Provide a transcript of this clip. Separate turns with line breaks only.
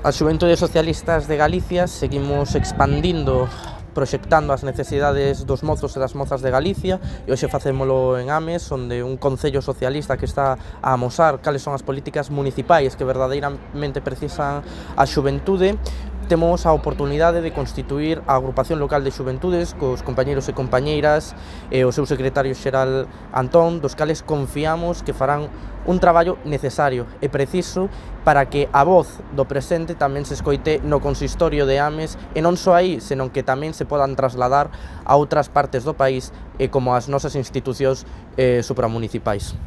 As Xuventudes Socialistas de Galicia seguimos expandindo, proxectando as necesidades dos mozos e das mozas de Galicia, e hoxe facémolo en Ames, onde un concello socialista que está a amosar cales son as políticas municipais que verdadeiramente precisan a xuventude. Temos a oportunidade de constituir a agrupación local de xuventudes cos compañeiros e compañeiras e o seu secretario xeral Antón, dos cales confiamos que farán un traballo necesario e preciso para que a voz do presente tamén se escoite no consistorio de Ames, e non só aí, senón que tamén se podan trasladar a outras partes do país e como as nosas institucións supramunicipais.